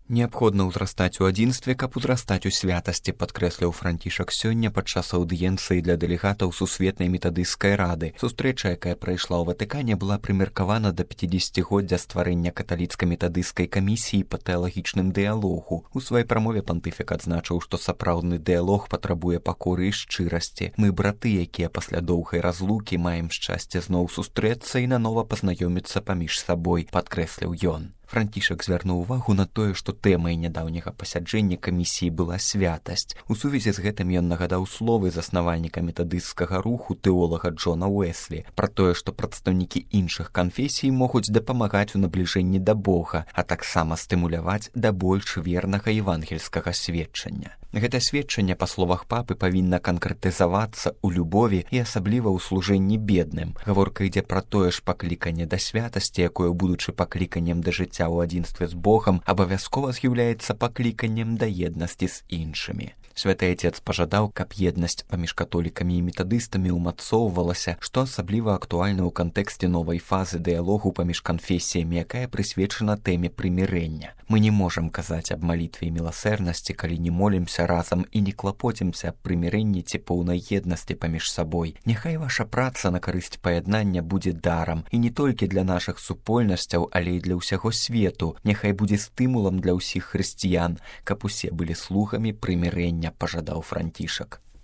Неабходна ўзрастаць у адзінстве, каб узрастаць у святасці, падкрэсліў Францішак сёння падчас аўдыенцыі для дэлегатаў Сусветнай метадысцкай рады. Сустрэча, якая прайшла ў Ватыкане, была прымеркавана да 50годдзя стварэння каталіцка-метадысцкай камісіі па тэалагічным дыялогу. У сваёй прамове пантыфік адзначыў, што сапраўдны дыялог патрабуе пакоры і шчырасці. Мы браты, якія пасля доўгай разлукі маем шчасце зноў сустрэцца і нанова пазнаёміцца паміж сабой, падкрэсліў ён. Францішак звярнуў увагу на тое, што тэмай нядаўняга пасяджэння камісіі была святасць. У сувязі з гэтым ён нагадаў словы заснавальніка метадысцкага руху тэолага Джона Уэслі пра тое, што прадстаўнікі іншых канфесій могуць дапамагаць у набліжэнні да Бога, а таксама стымуляваць да больш вернага евангельскага сведчання. Гэта сведчанне, па словах папы, павінна канкрэтызавацца ў любові і асабліва ў служэнні бедным. Гаворка ідзе пра тое ж пакліканне да святасці, якое, будучы пакліканнем да жыцця ў адзінстве з Богам, абавязкова з'яўляецца пакліканнем да еднасці з іншымі. Святы Отец пажадаў, каб еднасць паміж католікамі і метадыстамі ўмацоўвалася, што асабліва актуальна ў кантэксце новай фазы дыялогу паміж канфесіямі, якая прысвечана тэме прымірэння. Мы не можам казаць аб малітве і міласэрнасці, калі не молімся разам і не клапоцімся аб прымірэнні ці поўнай еднасці паміж сабой. Няхай ваша праца на карысць паяднання будзе дарам, і не толькі для нашых супольнасцяў, але і для ўсяго свету. Няхай будзе стымулам для ўсіх хрысціян, каб усе былі слугамі прымірэння, пажадаў Францішак.